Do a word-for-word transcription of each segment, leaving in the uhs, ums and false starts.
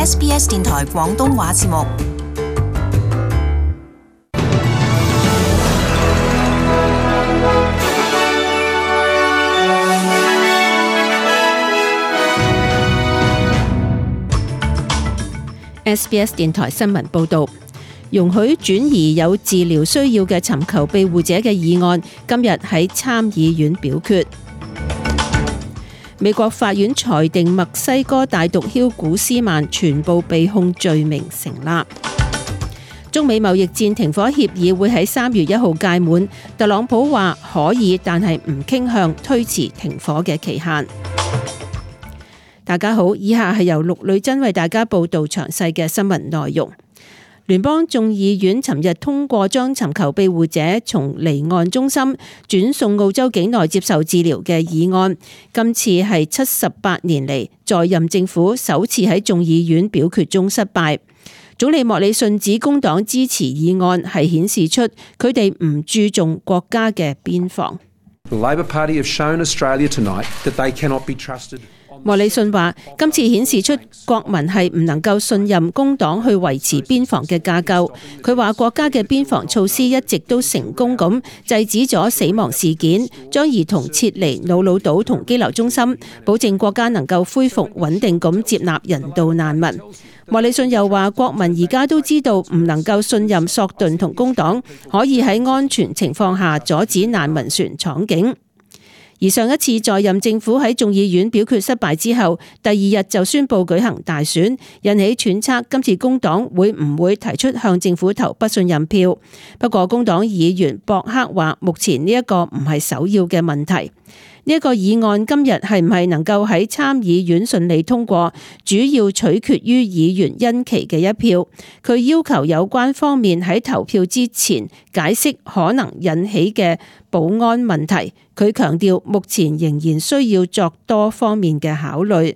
S B S 電台廣東話節目。S B S 電台新聞報導，容許轉移有治療需要嘅尋求庇護者嘅議案，今日喺參議院表決。美國法院裁定墨西哥大毒梟古斯曼全部被控罪名成立。中美貿易戰停火協議會喺三月一號屆滿，特朗普話可以，但係唔傾向推遲停火嘅期限。大家好，以下係由陸女珍為大家報道詳細嘅新聞內容。聯邦眾議院尋日通過將尋求庇護者從離岸中心轉送澳洲境內接受治療嘅議案，今次係七十八年嚟在任政府首次喺眾議院表決中失敗。總理莫里遜指工黨支持議案係顯示出佢哋唔注重國家嘅邊防。The Labor Party have shown Australia tonight that they cannot be trusted. 莫里遜話：今次顯示出國民係唔能夠信任工黨去維持邊防嘅架構。佢話國家嘅邊防措施一直都成功咁制止咗死亡事件，將兒童撤離瑙魯島同羈留中心，保證國家能夠恢復穩定咁接納人道難民。莫里遜又話：國民而家都知道唔能夠信任索頓同工黨可以喺安全情況下阻止難民船闖境。而上一次在任政府喺眾議院表決失敗之後，第二日就宣布舉行大選，引起揣測今次工黨會唔會提出向政府投不信任票。不過工黨議員博克話，目前呢一個唔係首要嘅問題。呢一個議案今日係唔係能夠喺參議院順利通過，主要取決於議員恩琪嘅一票。佢要求有關方面喺投票之前解釋可能引起嘅保安問題。佢強調目前仍然需要作多方面嘅考慮。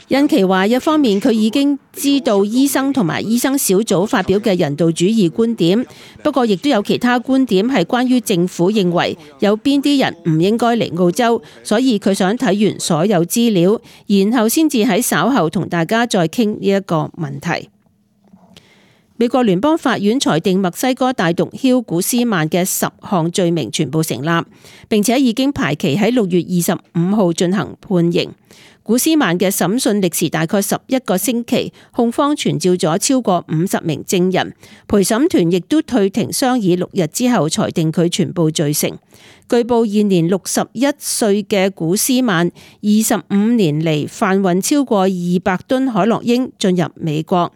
恩琪話：一方面佢已經知道醫生同埋醫生小組發表嘅人道主義觀點，不過亦都有其他觀點係關於政府認為有邊啲人唔應該嚟澳洲，所以佢想睇完所有資料，然後先至喺稍後同大家再傾呢一個問題。美國聯邦法院裁定墨西哥大毒梟古斯曼嘅十項罪名全部成立，並且已經排期喺六月二十五號進行判刑。古斯曼嘅審訊歷時大概十一個星期，控方傳召咗超過五十名證人，陪審團亦都退庭商議六日之後裁定佢全部罪成。據報現年六十一歲嘅古斯曼，二十五年嚟販運超過二百噸海洛因進入美國。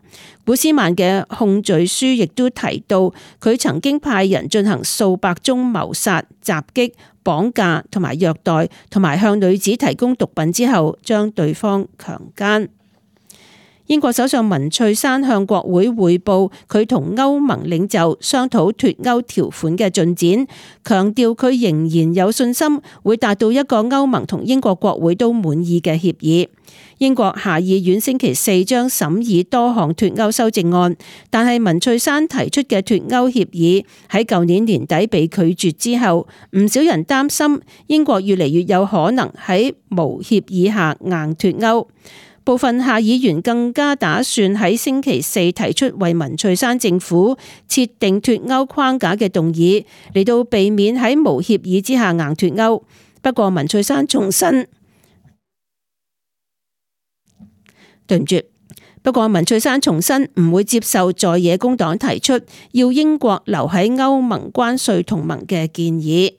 古斯曼嘅控罪書亦都提到，佢曾經派人進行數百宗謀殺、襲擊、綁架同埋虐待，同埋向女子提供毒品之後將對方強姦。英國首相文翠珊向國會匯報佢同歐盟領袖商討脫歐條款嘅進展，強調佢仍然有信心會達到一個歐盟同英國國會都滿意嘅協議。英國下議院星期四將審議多項脫歐修正案，但係文翠珊提出嘅脫歐協議喺舊年年底被拒絕之後，唔少人擔心英國越嚟越有可能喺無協議下硬脫歐。部分下議員更加打算喺星期四提出為文翠珊政府設定脫歐框架嘅動議，嚟到避免喺無協議之下硬脫歐。不過文翠珊重申，對唔住，不過文翠珊重申唔會接受在野工黨提出要英國留喺歐盟關稅同盟嘅建議。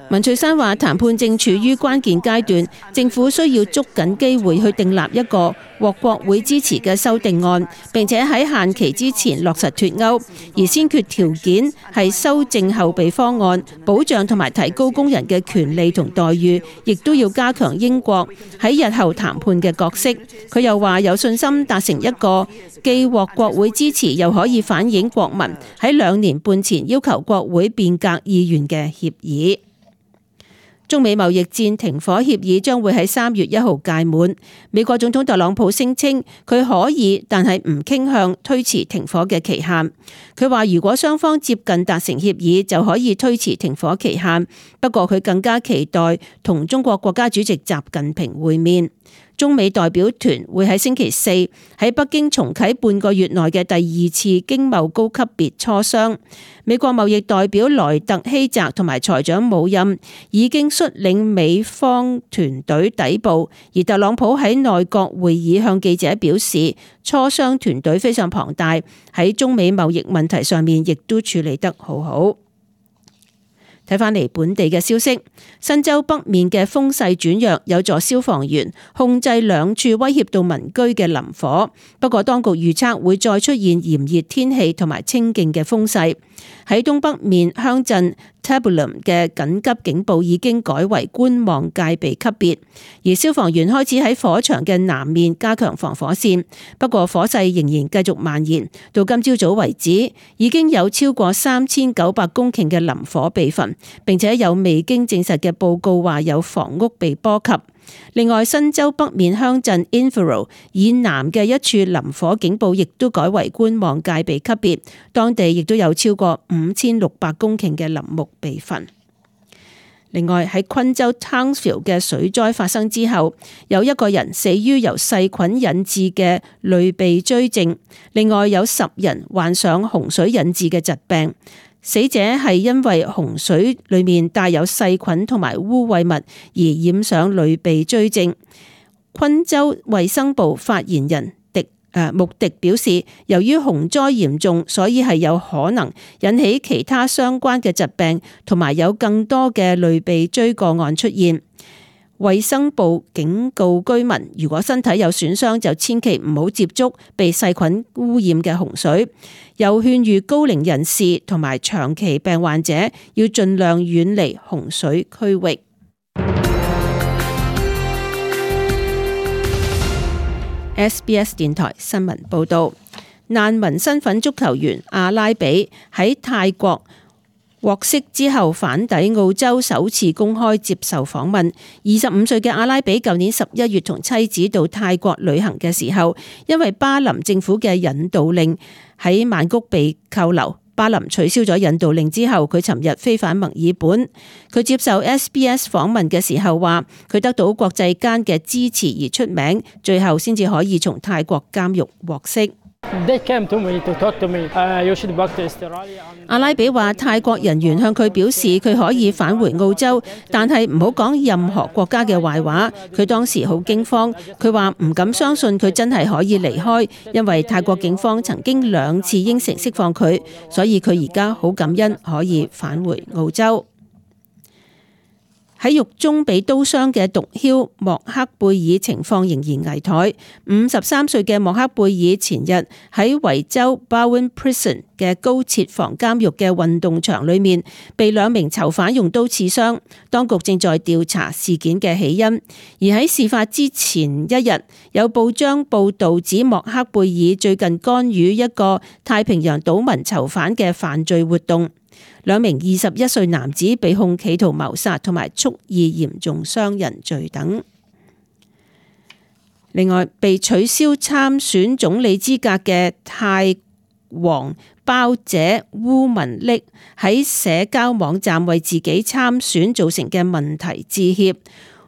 文翠珊話：談判正處於關鍵階段，政府需要捉緊機會去訂立一個獲國會支持嘅修訂案，並且喺限期之前落實脫歐。而先決條件係修正後備方案，保障同埋提高工人嘅權利同待遇，亦都要加強英國喺日後談判嘅角色。佢又話有信心達成一個既獲國會支持，又可以反映國民喺兩年半前要求國會變革意願嘅協議。中美貿易戰停火協議將會喺三月一號屆滿。美國總統特朗普聲稱佢可以，但係唔傾向推遲停火嘅期限。佢話如果雙方接近達成協議，就可以推遲停火期限。不過佢更加期待同中國國家主席習近平會面。中美代表團會喺星期四喺北京重啟半個月內嘅第二次經貿高級別磋商。美國貿易代表萊特希澤同埋財長姆欽已經率領美方團隊抵埗，而特朗普喺內閣會議向記者表示，磋商團隊非常龐大，喺中美貿易問題上面亦都處理得好好。睇返嚟本地嘅消息，新州北面嘅風勢轉弱，有助消防員控制兩處威脅到民居嘅林火。不過當局預測會再出現炎熱天氣同埋清勁嘅風勢。喺東北面鄉鎮 Tabulum 嘅緊急警報已經改為觀望戒備級別，而消防員開始喺火場嘅南面加強防火線。不過火勢仍然繼續蔓延，到今朝早為止，已經有超過三千九百公頃嘅林火被焚，並且有未經證實嘅報告話有房屋被波及。另外，新州北面鄉鎮 Inverell 以南嘅一處林火警報亦都改為觀望戒備級別，當地亦都有超過五千六百公頃嘅林木被焚。另外，喺昆州 Townsville 嘅水災發生之後，有一個人死於由細菌引致嘅類鼻疽症，另外有十人患上洪水引致嘅疾病。死者係因為洪水裏面帶有細菌同埋污穢物而染上類鼻疽症。昆州衛生部發言人迪誒穆迪表示，由於洪災嚴重，所以係有可能引起其他相關嘅疾病，同埋有更多嘅類鼻疽個案出現。衛生部警告居民，如果身體有損傷，就千祈唔好接觸被細菌污染嘅洪水。又勸喻高齡人士同埋長期病患者要盡量遠離洪水區域。S B S 電台新聞報道，難民身份足球員阿拉比喺泰國獲釋之後返抵澳洲，首次公開接受訪問。二十五歲嘅阿拉比舊年十一月同妻子到泰國旅行嘅時候，因為巴林政府嘅引渡令喺曼谷被扣留。巴林取消咗引渡令之後，佢尋日飛返墨爾本。佢接受 S B S 訪問嘅時候話，佢得到國際間嘅支持而出名，最後先至可以從泰國監獄獲釋。阿拉比話，泰國人員向佢表示佢可以返回澳洲，但係唔好講任何國家嘅壞話。佢當時好驚慌，佢話唔敢相信佢真係可以離開，因為泰國警方曾經兩次應承釋放佢，所以佢而家好感恩可以返回澳洲。喺獄中被刀傷嘅毒梟莫克貝爾情況仍然危殆。五十三歲嘅莫克貝爾前日喺維州 Bowen Prison 嘅高設防監獄嘅運動場裏面被兩名囚犯用刀刺傷，當局正在調查事件嘅起因。而喺事發之前一日，有報章報道指莫克貝爾最近干預一個太平洋島民囚犯嘅犯罪活動。兩名二十一歲男子被控企圖謀殺同埋蓄意嚴重傷人罪等。另外，被取消參選總理資格嘅泰王胞姐烏文溺喺社交網站為自己參選造成嘅問題致歉。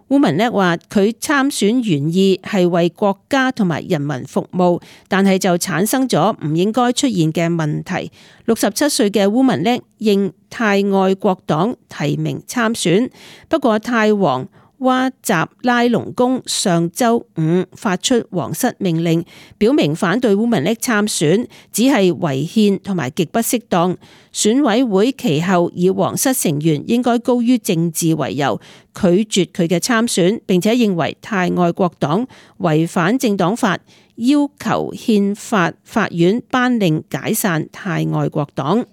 烏文溺話佢參選原意係為國家同埋人民服務，但係就產生咗唔應該出現嘅問題。六十七歲嘅烏文溺應泰愛國黨提名參選，不過泰王哇集拉隆功上週五發出皇室命令，表明反對烏文溺參選，只係違憲同埋極不適當。選委會其後以皇室成員應該高於政治為由，拒絕佢嘅參選，並且認為泰愛國黨違反政黨法，要求憲法法院頒令解散泰愛國黨。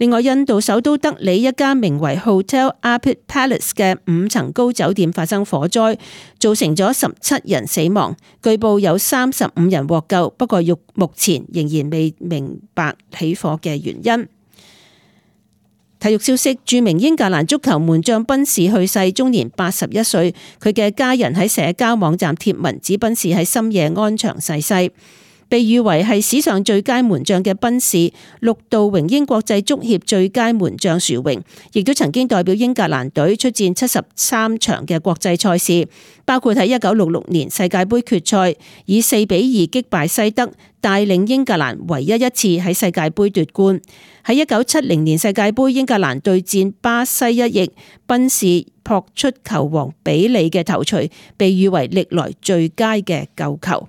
另外，印度首都德里一家名為 Hotel Arpit Palace 嘅五層高酒店發生火災，造成咗十七人死亡，據報有三十五人獲救，不過目前仍然未明白起火嘅原因。體育消息，著名英格蘭足球門將賓士去世，終年八十一歲。佢嘅家人喺社交網站貼文指賓士喺深夜安詳逝世。被譽為係史上最佳門將嘅賓士，六度榮膺國際足協最佳門將殊榮，亦都曾經代表英格蘭隊出戰七十三場嘅國際賽事，包括喺一九六六年世界盃決賽以四比二擊敗西德，帶領英格蘭唯一一次喺世界盃奪冠。喺一九七零年世界盃英格蘭對戰巴西一役，賓士撲出球王比利嘅頭槌，被譽為歷來最佳嘅救球。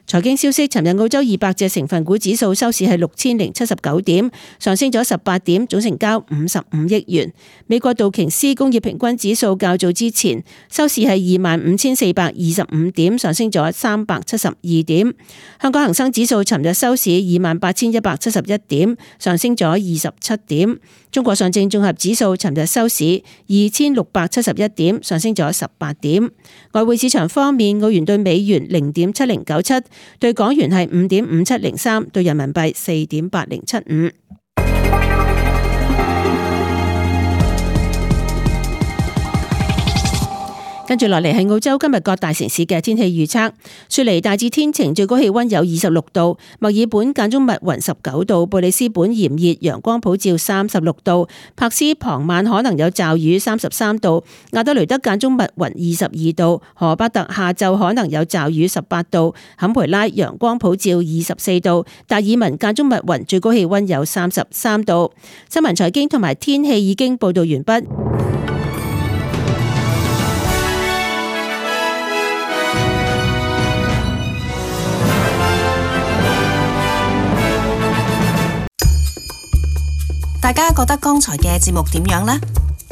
財經消息，尋日澳洲二百隻成分股指數收市係六千零七十九點，上升咗十八點，總成交五十五億元。美國道瓊斯工業平均指數較早之前收市係二萬五千四百二十五點，上升咗三百七十二點。香港恒生指數尋日收市二萬八千一百七十一點，上升咗二十七點。中國上證綜合指數尋日收市二千六百七十一點，上升咗十八點。外匯市場方面，澳元對美元零點七零九七，對港元係五點五七零三，對人民幣四點八零七五。跟住落嚟係澳洲今日各大城市嘅天氣預測。雪梨大致天晴，最高氣溫有二十六度；墨爾本間中密雲十九度；布里斯本炎熱，陽光普照三十六度；柏斯傍晚可能有驟雨三十三度；亞德雷德間中密雲二十二度；荷巴特下晝可能有驟雨十八度；坎培拉陽光普照二十四度；達爾文間中密雲，最高氣溫有三十三度。新聞財經同埋天氣已經報道完畢。大家覺得剛才嘅節目點樣呢？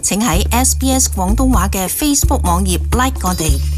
請喺 S B S 廣東話嘅 Facebook 網頁 like 我哋。